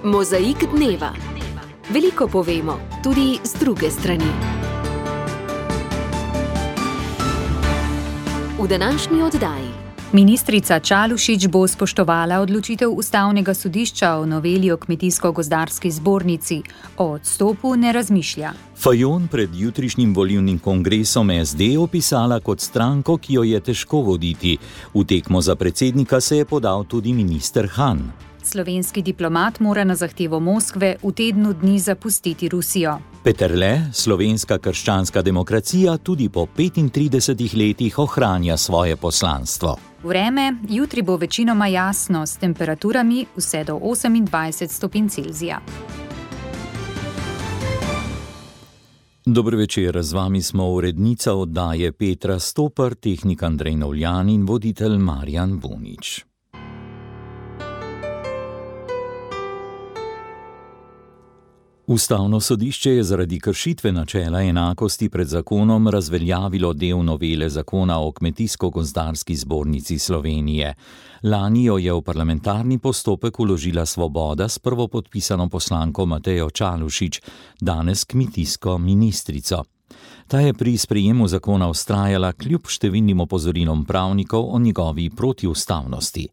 Mozaik dneva. Veliko povemo, tudi z druge strani. V današnji oddaji. Ministrica Čalušić bo spoštovala odločitev Ustavnega sodišča o noveli o Kmetijsko-gozdarski zbornici. O odstopu ne razmišlja. Fajon pred jutrišnjim volilnim kongresom SD opisala kot stranko, ki jo je težko voditi. V tekmo za predsednika se je podal tudi minister Han. Slovenski diplomat mora na zahtevo Moskve v tednu dni zapustiti Rusijo. Peterle, slovenska krščanska demokracija tudi po 35 letih ohranja svoje poslanstvo. Vreme, jutri bo večinoma jasno s temperaturami vse do 28 stopinj Celzija. Dober večer, z vami smo urednica oddaje Petra Stopar, tehnik Andrej Novljan in voditelj Marjan Bunič. Ustavno sodišče je zaradi kršitve načela enakosti pred zakonom razveljavilo del novele zakona o Kmetijsko-gozdarski zbornici Slovenije. Lani jo je v parlamentarni postopek vložila Svoboda s prvopodpisano poslanko Matejo Čalušić, danes kmetijsko ministrico. Ta je pri sprejemu zakona vztrajala kljub številnim opozorilom pravnikov o njegovi protiustavnosti.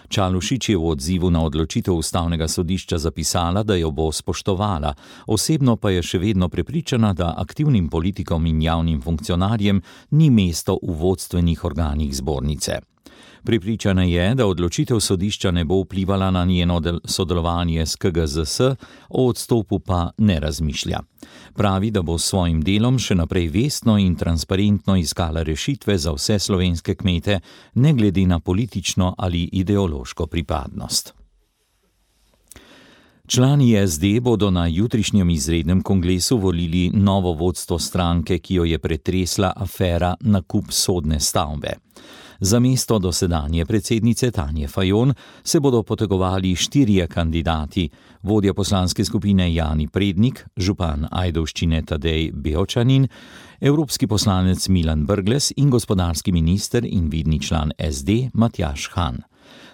Čalušić je v odzivu na odločitev Ustavnega sodišča zapisala, da jo bo spoštovala, osebno pa je še vedno prepričana, da aktivnim politikom in javnim funkcionarjem ni mesto v vodstvenih organih zbornice. Prepričana je, da odločitev sodišča ne bo vplivala na njeno sodelovanje s KGZS, o odstopu pa ne razmišlja. Pravi, da bo s svojim delom še naprej vestno in transparentno iskala rešitve za vse slovenske kmete, ne glede na politično ali ideološko pripadnost. Člani SD bodo na jutrišnjem izrednem kongresu volili novo vodstvo stranke, ki jo je pretresla afera nakup sodne stavbe. Za mesto dosedanje predsednice Tanje Fajon se bodo potegovali 4 kandidati: vodja poslanske skupine Jani Prednik, župan Ajdovščine Tadej Beočanin, evropski poslanec Milan Brglez in gospodarski minister in vidni član SD Matjaž Han.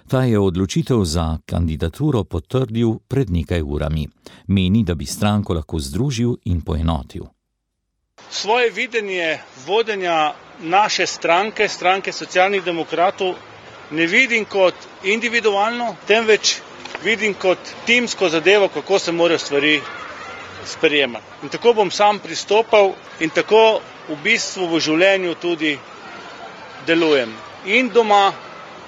Ta je odločitev za kandidaturo potrdil pred nekaj urami. Meni, da bi stranko lahko združil in poenotil. Svoje videnje vodenja naše stranke, stranke socialnih demokratov, ne vidim kot individualno, temveč vidim kot timsko zadevo, kako se morajo stvari sprejemati. In tako bom sam pristopal in tako v bistvu v življenju tudi delujem. In doma,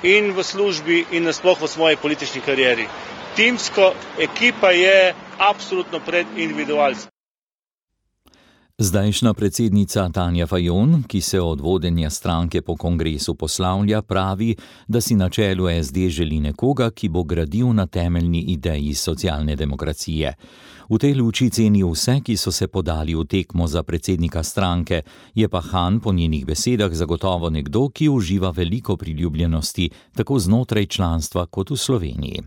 in v službi, in nasploh v svoji politični karieri. Timsko ekipa je absolutno pred individualcem. Zdajšnja predsednica Tanja Fajon, ki se od vodenja stranke po kongresu poslavlja, pravi, da si na čelu SD želi nekoga, ki bo gradil na temeljni ideji socialne demokracije. V tej luči ceni vse, ki so se podali v tekmo za predsednika stranke, je pa Han po njenih besedah zagotovo nekdo, ki uživa veliko priljubljenosti, tako znotraj članstva kot v Sloveniji.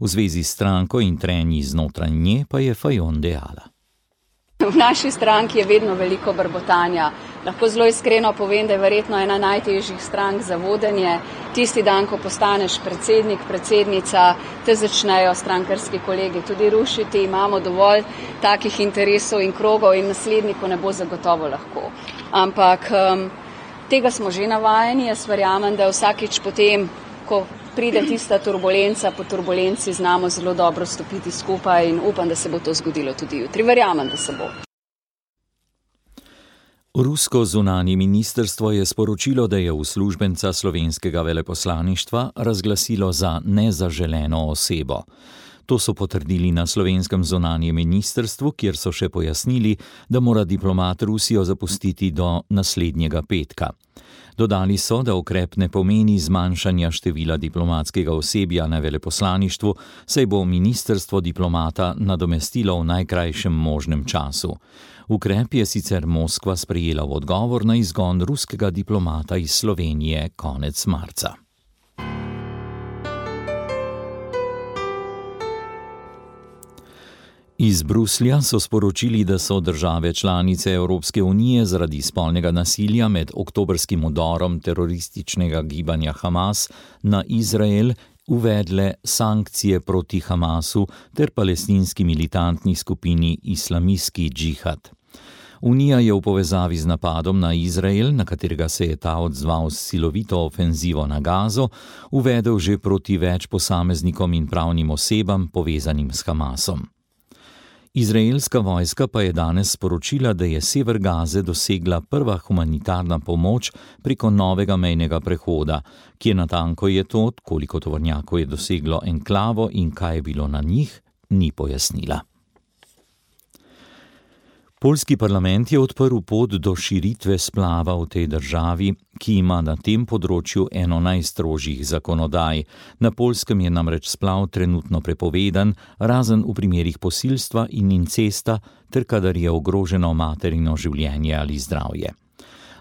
V zvezi s stranko in trenji znotraj nje pa je Fajon dejala. V naši stranki je vedno veliko brbotanja. Lahko zelo iskreno povem, da je verjetno ena najtežjih strank za vodenje. Tisti dan, ko postaneš predsednik, predsednica, te začnejo strankarski kolegi tudi rušiti. Imamo dovolj takih interesov in krogov in nasledniku ne bo zagotovo lahko. Ampak tega smo že navajeni. Jaz verjamem, da vsakič potem, ko pride tista turbulenca, po turbulenci znamo zelo dobro stopiti skupaj in upam, da se bo to zgodilo tudi jutri. Verjamem, da se bo. Rusko zunanje ministrstvo je sporočilo, da je uslužbenca slovenskega veleposlaništva razglasilo za nezaželeno osebo. To so potrdili na slovenskem zunanjem ministrstvu, kjer so še pojasnili, da mora diplomat Rusijo zapustiti do naslednjega petka. Dodali so, da ukrep ne pomeni zmanjšanja števila diplomatskega osebja na veleposlaništvu, saj bo ministrstvo diplomata nadomestilo v najkrajšem možnem času. Ukrep je sicer Moskva sprejela v odgovor na izgon ruskega diplomata iz Slovenije konec marca. Iz Bruslja so sporočili, da so države članice Evropske unije zaradi spolnega nasilja med oktobrskim vdorom terorističnega gibanja Hamas na Izrael uvedle sankcije proti Hamasu ter palestinski militantni skupini Islamski džihad. Unija je v povezavi z napadom na Izrael, na katerega se je ta odzval s silovito ofenzivo na Gazo, uvedel že proti več posameznikom in pravnim osebam povezanim s Hamasom. Izraelska vojska pa je danes sporočila, da je sever Gaze dosegla prva humanitarna pomoč preko novega mejnega prehoda, kje natanko je to, koliko tovornjakov je doseglo enklavo in kaj je bilo na njih, ni pojasnila. Poljski parlament je odprl pot do širitve splava v tej državi, ki ima na tem področju eno najstrožjih zakonodaj. Na Poljskem je namreč splav trenutno prepovedan, razen v primerih posilstva in incesta, ter kadar je ogroženo materino življenje ali zdravje.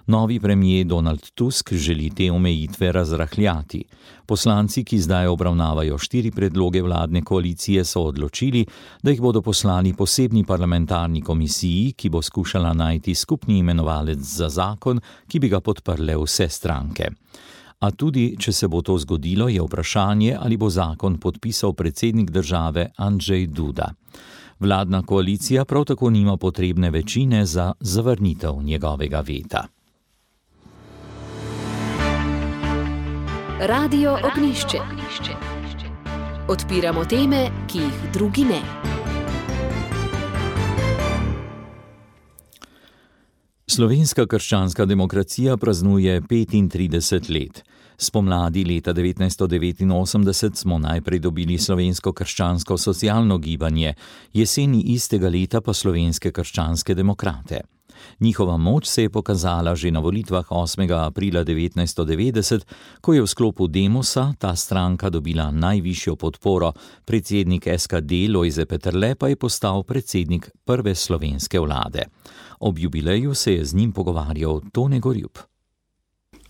Novi premier Donald Tusk želi te omejitve razrahljati. Poslanci, ki zdaj obravnavajo 4 predloge vladne koalicije, so odločili, da jih bodo poslali posebni parlamentarni komisiji, ki bo skušala najti skupni imenovalec za zakon, ki bi ga podprle vse stranke. A tudi, če se bo to zgodilo, je vprašanje, ali bo zakon podpisal predsednik države Andrzej Duda. Vladna koalicija prav tako nima potrebne večine za zavrnitev njegovega veta. Radio Ognjišče. Odpiramo teme, ki jih drugi ne. Slovenska krščanska demokracija praznuje 35 let. Spomladi leta 1989 smo najprej dobili slovensko krščansko socialno gibanje, jeseni istega leta pa slovenske krščanske demokrate. Njihova moč se je pokazala že na volitvah 8. aprila 1990, ko je v sklopu Demosa ta stranka dobila najvišjo podporo, predsednik SKD Lojze Peterle pa je postal predsednik prve slovenske vlade. Ob jubileju se je z njim pogovarjal Tone Gorjup.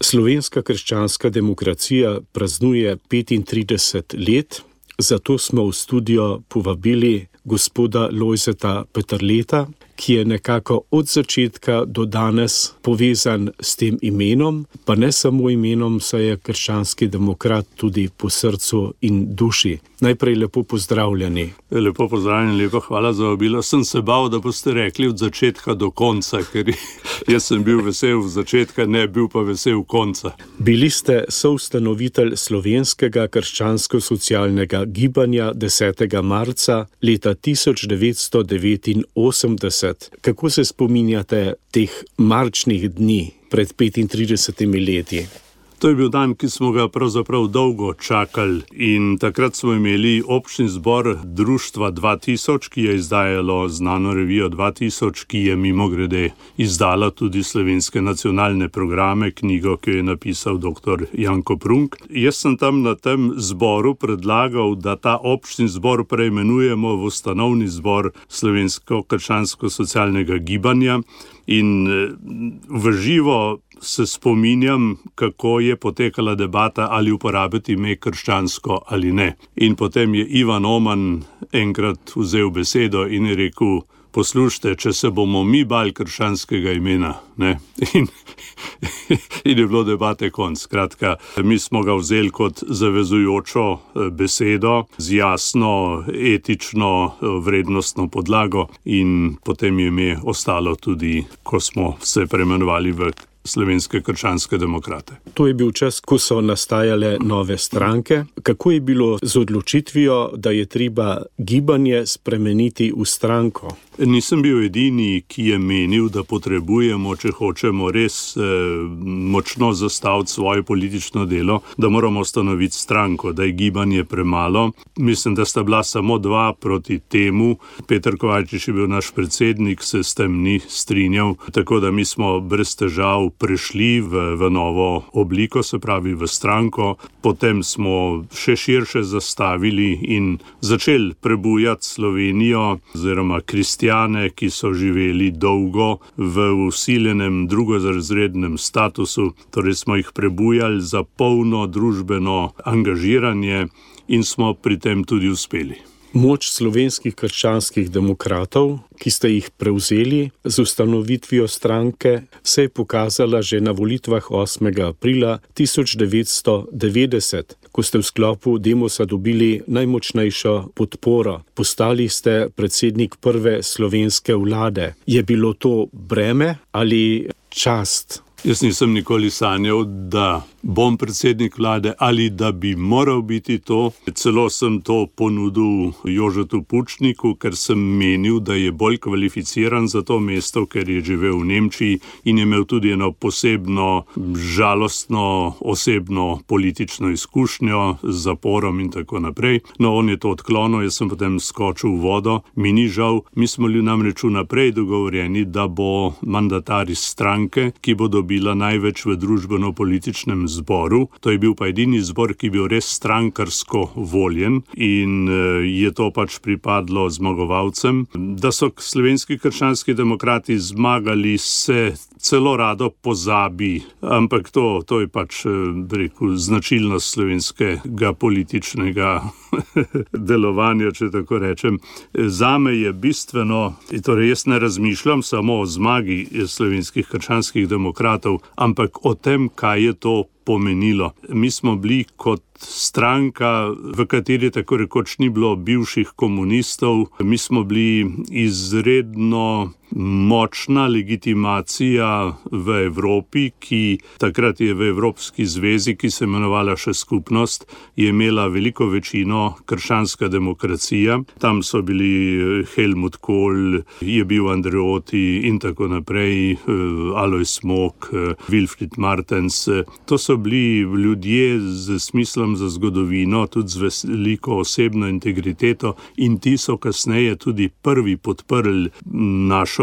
Slovenska krščanska demokracija praznuje 35 let, zato smo v studio povabili gospoda Lojzeta Peterleta, ki je nekako od začetka do danes povezan s tem imenom, pa ne samo imenom, saj je krščanski demokrat tudi po srcu in duši. Najprej lepo pozdravljeni. Lepo pozdravljeni, lepo hvala za vabilo. Sem se bal, da boste rekli od začetka do konca, ker jaz sem bil vesel v začetka, ne bil pa vesel konca. Bili ste soustanovitelj slovenskega krščansko-socialnega gibanja 10. marca leta 1989. Kako se spominjate teh marčnih dni pred 35 leti? To je bil dan, ki smo ga pravzaprav dolgo čakali in takrat smo imeli občni zbor Društva 2000, ki je izdajalo znano revijo 2000, ki je mimogrede izdala tudi slovenske nacionalne programe, knjigo, ki je napisal dr. Janko Prunk. Jaz sem tam na tem zboru predlagal, da ta občni zbor preimenujemo v ustanovni zbor Slovensko krščansko-socialnega gibanja in v živo se spominjam, kako je potekala debata, ali uporabiti ime krščansko ali ne. In potem je Ivan Oman enkrat vzel besedo in je rekel, poslušajte, če se bomo mi bali krščanskega imena, ne? In je bilo debate konc. Skratka, mi smo ga vzeli kot zavezujočo besedo z jasno, etično, vrednostno podlago in potem je ime ostalo tudi, ko smo se preimenovali v Slovenske krščanske demokrate. To je bil čas, ko so nastajale nove stranke. Kako je bilo z odločitvijo, da je treba gibanje spremeniti v stranko? Nisem bil edini, ki je menil, da potrebujemo, če hočemo res močno zastaviti svoje politično delo, da moramo ustanoviti stranko, da je gibanje premalo. Mislim, da sta bila samo 2 proti temu. Peter Kovačič je bil naš predsednik, se s tem ni strinjal, tako da mi smo brez težav prešli v novo obliko, se pravi v stranko. Potem smo še širše zastavili in začeli prebujati Slovenijo oziroma kristjane, ki so živeli dolgo v vsiljenem drugorazrednem statusu, torej smo jih prebujali za polno družbeno angažiranje in smo pri tem tudi uspeli. Moč slovenskih krščanskih demokratov, ki ste jih prevzeli z ustanovitvijo stranke, se je pokazala že na volitvah 8. aprila 1990, ko ko ste v sklopu Demosa dobili najmočnejšo podporo. Postali ste predsednik prve slovenske vlade. Je bilo to breme ali čast? Jaz nisem nikoli sanjal, da bom predsednik vlade ali da bi moral biti to. Celo sem to ponudil Jožetu Pučniku, ker sem menil, da je bolj kvalificiran za to mesto, ker je živel v Nemčiji in je imel tudi eno posebno, žalostno, osebno politično izkušnjo z zaporom in tako naprej. No, on je to odklonil, jaz sem potem skočil v vodo. Mi ni žal, mi smo namreč vnaprej dogovorjeni, da bo mandatar iz stranke, ki bo bila največ v družbeno-političnem zboru. To je bil pa edini zbor, ki je bil res strankarsko voljen in je to pač pripadlo zmagovalcem. Da so slovenski krščanski demokrati zmagali, se celo rado pozabi, ampak to je pač, rekel, značilnost slovenskega političnega delovanja, če tako rečem. Zame je bistveno, torej jaz ne razmišljam samo o zmagi slovenskih krščanskih demokratov, ampak o tem, kaj je to pomenilo. Mi smo bili kot stranka, v kateri tako rekoč ni bilo bivših komunistov, mi smo bili izredno močna legitimacija v Evropi, ki takrat je v Evropski zvezi, ki se imenovala še skupnost, je imela veliko večino krščanska demokracija. Tam so bili Helmut Kohl, je bil Andreotti in tako naprej, Alojz Mok, Wilfried Martens. To so bili ljudje z smislom za zgodovino, tudi z veliko osebno integriteto in ti so kasneje tudi prvi podprli našo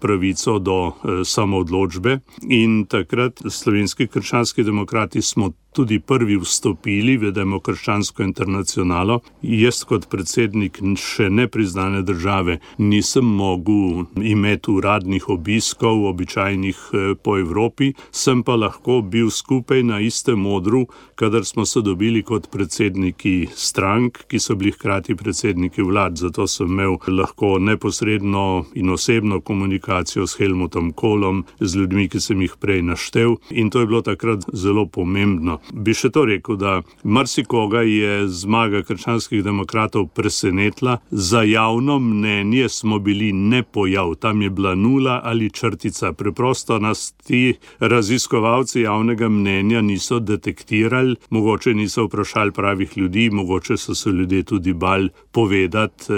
pravico do samoodločbe in takrat slovenski krščanski demokrati smo tudi prvi vstopili v Demokrščansko internacionalo. Jaz kot predsednik še nepriznane države nisem mogel imeti uradnih obiskov, običajnih po Evropi, sem pa lahko bil skupaj na istem odru, kadar smo se dobili kot predsedniki strank, ki so bili hkrati predsedniki vlad. Zato sem imel lahko neposredno in osebno komunikacijo s Helmutom Kohlom, z ljudmi, ki sem jih prej naštel in to je bilo takrat zelo pomembno. Bi še to rekel, da marsikoga je zmaga krščanskih demokratov presenetila. Za javno mnenje smo bili nepojav. Tam je bila nula ali črtica. Preprosto nas ti raziskovalci javnega mnenja niso detektirali, mogoče niso vprašali pravih ljudi, mogoče so se ljudje tudi bali povedati,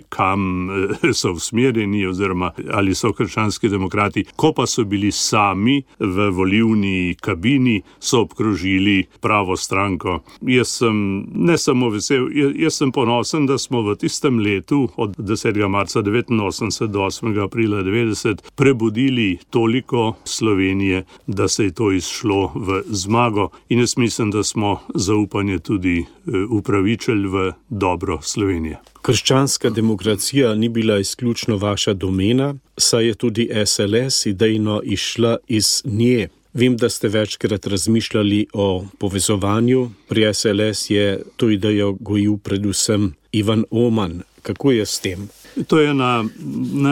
kam so usmerjeni oziroma ali so krščanski demokrati. Ko pa so bili sami v volilni kabini, so obkrožili pravo stranko. Jaz sem ne samo vesel, jaz sem ponosen, da smo v tistem letu od 10. marca 1989 do 8. aprila 1990 prebudili toliko Slovenije, da se je to izšlo v zmago in jaz mislim, da smo zaupanje tudi upravičili v dobro Slovenije. Krščanska demokracija ni bila izključno vaša domena, saj je tudi SLS idejno izšla iz nje. Vem, da ste večkrat razmišljali o povezovanju. Pri SLS je to idejo gojil predvsem Ivan Oman. Kako je s tem? To je na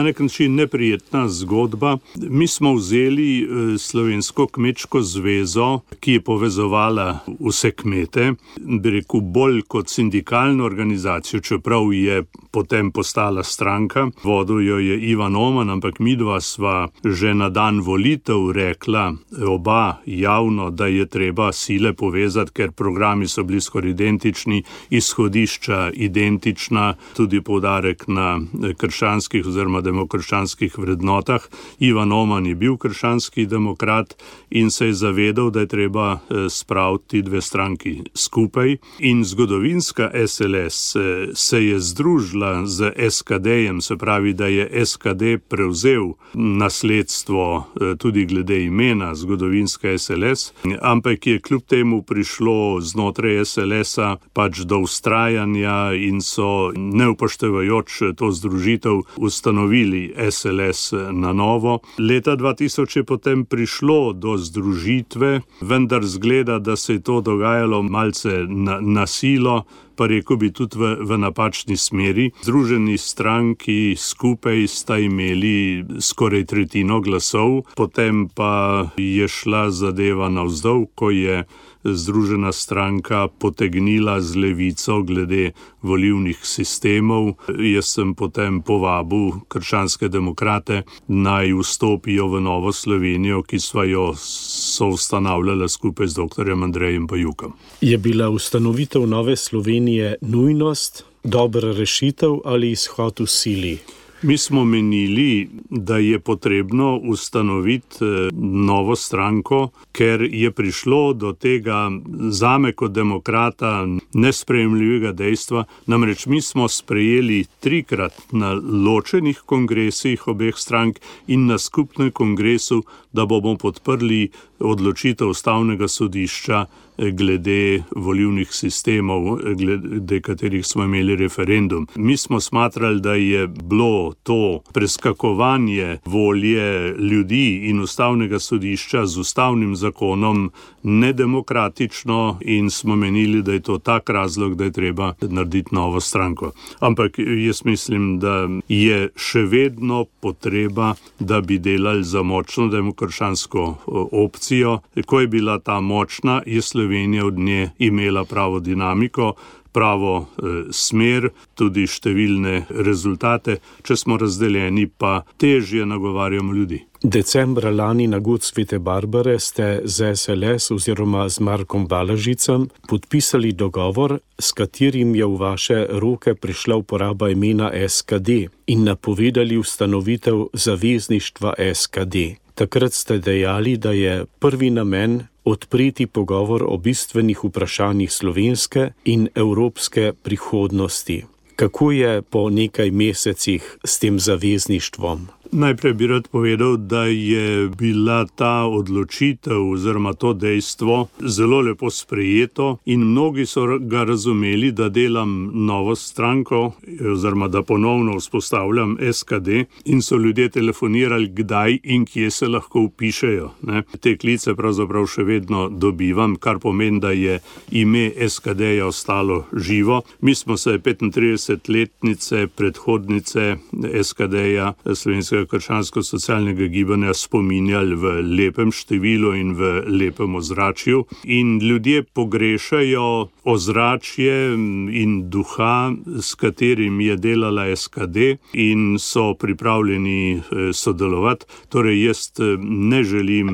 nek način neprijetna zgodba. Mi smo vzeli Slovensko kmečko zvezo, ki je povezovala vse kmete, bi rekel bolj kot sindikalno organizacijo, čeprav je potem postala stranka. Vodil jo je Ivan Oman, ampak midva sva že na dan volitev rekla oba javno, da je treba sile povezati, ker programi so bili skoraj identični, izhodišča identična, tudi poudarek na krščanskih oziroma demokrščanskih vrednotah. Ivan Oman je bil krščanski demokrat in se je zavedal, da je treba spraviti dve stranki skupaj. In zgodovinska SLS se je združila z SKD-jem, se pravi, da je SKD prevzel nasledstvo tudi glede imena zgodovinska SLS, ampak je kljub temu prišlo znotraj SLS-a pač do vztrajanja in so neupoštevajoč to združitev ustanovili SLS na novo. Leta 2000 je potem prišlo do združitve, vendar zgleda, da se je to dogajalo malce na silo, pa rekel bi tudi v napačni smeri. Združeni stranki skupaj sta imeli skoraj tretjino glasov, potem pa je šla zadeva navzdol, ko je Združena stranka potegnila z Levico glede volilnih sistemov. Jaz sem potem povabil krščanske demokrate, naj vstopijo v Novo Slovenijo, ki sva jo soustanavljala skupaj z dr. Andrejem Bajukom. Je bila ustanovitev Nove Slovenije nujnost, dobra rešitev ali izhod v sili? Mi smo menili, da je potrebno ustanoviti novo stranko, ker je prišlo do tega zame kot demokrata nesprejemljivega dejstva. Namreč mi smo sprejeli 3-krat na ločenih kongresih obeh strank in na skupnem kongresu, da bomo podprli odločitev Ustavnega sodišča glede volilnih sistemov, glede katerih smo imeli referendum. Mi smo smatrali, da je bilo to preskakovanje volje ljudi in Ustavnega sodišča z ustavnim zakonom nedemokratično in smo menili, da je to tak razlog, da je treba narediti novo stranko. Ampak jaz mislim, da je še vedno potreba, da bi delali za močno demokratsko opcijo. Ko je bila ta močna, je Slovenija od nje imela pravo dinamiko, pravo smer, tudi številne rezultate. Če smo razdeljeni, pa težje nagovarjamo ljudi. Decembra lani na God Svete Barbare ste z SLS oziroma z Markom Balažicem podpisali dogovor, s katerim je v vaše roke prišla uporaba imena SKD in napovedali ustanovitev zavezništva SKD. Takrat ste dejali, da je prvi namen odpreti pogovor o bistvenih vprašanjih slovenske in evropske prihodnosti. Kako je po nekaj mesecih s tem zavezništvom? Najprej bi rad povedal, da je bila ta odločitev oziroma to dejstvo zelo lepo sprejeto in mnogi so ga razumeli, da delam novo stranko oziroma da ponovno vzpostavljam SKD in so ljudje telefonirali, kdaj in kje se lahko vpišejo. Te klice pravzaprav še vedno dobivam, kar pomeni, da je ime SKD-ja ostalo živo. Mi smo se 35-letnice predhodnice SKD-ja, Slovenskega krščansko-socialnega gibanja, spominjali v lepem številu in v lepem ozračju. In ljudje pogrešajo ozračje in duha, s katerim je delala SKD in so pripravljeni sodelovati. Torej, jaz ne želim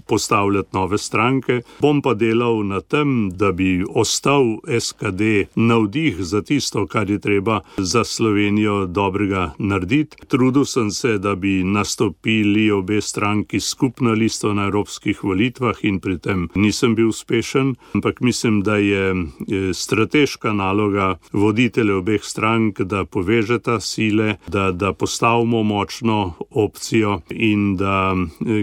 postavljati nove stranke, bom pa delal na tem, da bi ostal SKD navdih za tisto, kar je treba za Slovenijo dobrega narediti. Trudil sem se, da bi nastopili obe stranki skupno listo na evropskih volitvah in pri tem nisem bil uspešen, ampak mislim, da je strateška naloga voditelja obeh strank, da povežeta sile, da postavimo močno opcijo in da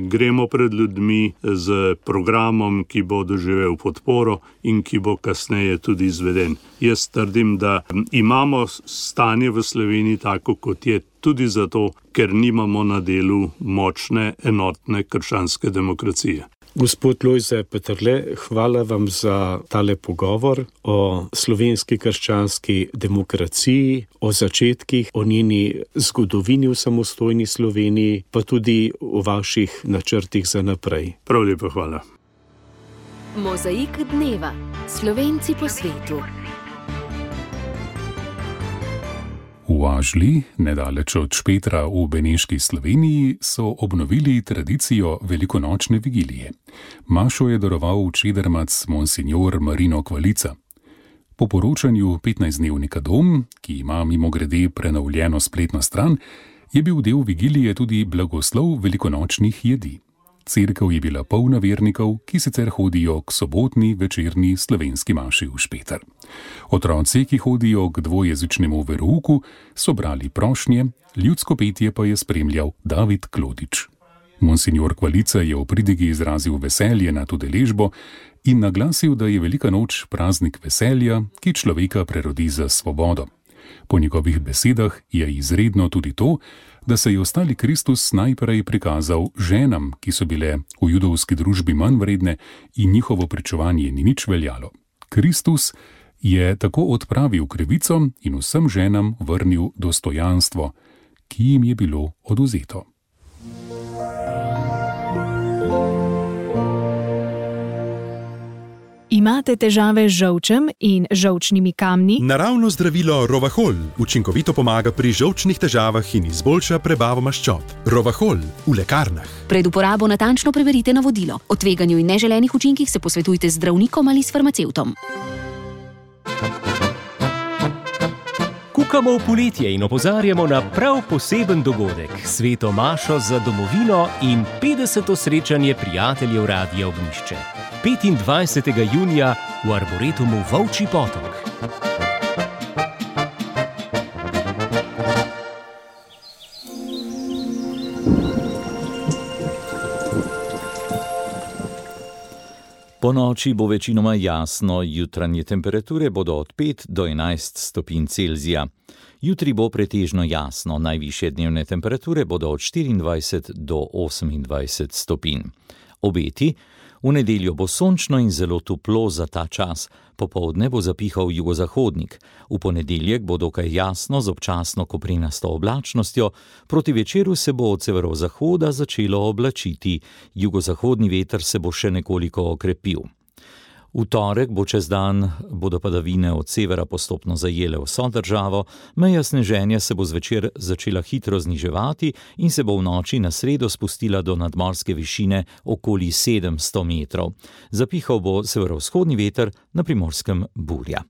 gremo pred ljudmi z programom, ki bo doživel podporo in ki bo kasneje tudi izveden. Jaz trdim, da imamo stanje v Sloveniji tako, kot je, tudi zato, ker nimamo na delu močne, enotne krščanske demokracije. Gospod Lojze Peterle, hvala vam za tale pogovor o slovenski krščanski demokraciji, o začetkih, o njeni zgodovini v samostojni Sloveniji, pa tudi o vaših načrtih za naprej. Prav lepo hvala. Mozaik dneva. Slovenci po svetu. V Ažli, nedaleč od Špetra v Beneški Sloveniji, so obnovili tradicijo velikonočne vigilije. Mašo je daroval čedermac monsignor Marino Kvalica. Po poročanju 15-dnevnika Dom, ki ima mimogrede prenovljeno spletno stran, je bil del vigilije tudi blagoslov velikonočnih jedi. Cerkev je bila polna vernikov, ki sicer hodijo k sobotni večerni slovenski maši v Špeter. Otroci, ki hodijo k dvojezičnemu verouku, so brali prošnje, ljudsko petje pa je spremljal David Klodič. Monsignor Kvalica je v pridigi izrazil veselje nad udeležbo in naglasil, da je Velika noč praznik veselja, ki človeka prerodi za svobodo. Po njegovih besedah je izredno tudi to, da se je ostali Kristus najprej prikazal ženam, ki so bile v judovski družbi manj vredne in njihovo pričevanje ni nič veljalo. Kristus je tako odpravil krivico in vsem ženam vrnil dostojanstvo, ki jim je bilo odvzeto. Imate težave z žolčem in žolčnimi kamni? Naravno zdravilo Rovahol učinkovito pomaga pri žolčnih težavah in izboljša prebavo maščob. Rovahol v lekarnah. Pred uporabo natančno preverite navodilo. O tveganju in neželenih učinkih se posvetujte z zdravnikom ali s farmacevtom. Kukamo v poletje in opozarjamo na prav poseben dogodek, Sveto mašo za domovino in 50. srečanje prijateljev Radia Ognjišče. 25. junija v Arboretumu Volčji potok. Po noči bo večinoma jasno, jutranje temperature bodo od 5 do 11 stopinj Celzija. Jutri bo pretežno jasno, najvišje dnevne temperature bodo od 24 do 28 stopinj. Obeti: v nedeljo bo sončno in zelo toplo za ta čas, popoldne bo zapihal jugozahodnik, v ponedeljek bo dokaj jasno z občasno koprenasto oblačnostjo, proti večeru se bo od severozahoda začelo oblačiti, jugozahodni veter se bo še nekoliko okrepil. V torek bo čez dan bodo padavine od severa postopno zajele vso državo, meja sneženja se bo zvečer začela hitro zniževati in se bo v noči na sredo spustila do nadmorske višine okoli 700 metrov. Zapihal bo severovzhodni veter, na Primorskem burja.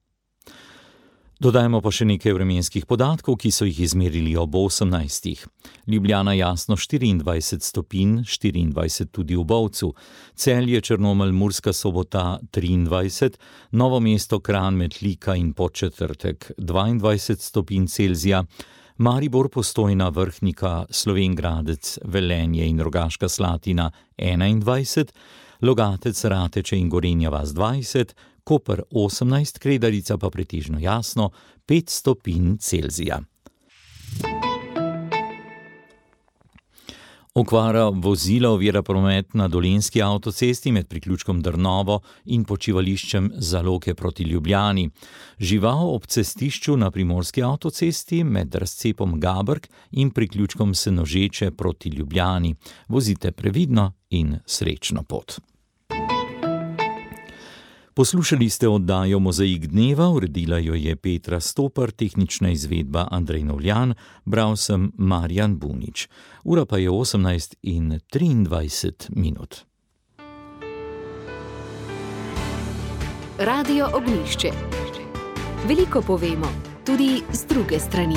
Dodajmo pa še nekaj vremenskih podatkov, ki so jih izmerili ob 18. Ljubljana jasno 24 stopinj, 24 tudi v Bovcu, Celje, Črnomelj, Murska Sobota 23, Novo mesto, Kranj, Metlika in Podčetrtek 22 stopinj Celzija, Maribor, Postojna, Vrhnika, Slovenj Gradec, Velenje in Rogaška Slatina 21, Logatec, Rateče in Gorenja vas 20, Koper 18, Kredarica pa pretežno jasno 5 stopinj Celzija. Okvara vozila ovira promet na Dolenjski avtocesti med priključkom Drnovo in počivališčem Zaloke proti Ljubljani. Žival ob cestišču na Primorski avtocesti med razcepom Gabrk in priključkom Senožeče proti Ljubljani. Vozite previdno in srečno pot. Poslušali ste oddajo Mozaik dneva, uredila jo je Petra Stopar, tehnična izvedba Andrej Novljan, bral sem Marjan Bunič. Ura pa je 18:23. Radio Ognjišče. Veliko povemo, tudi z druge strani.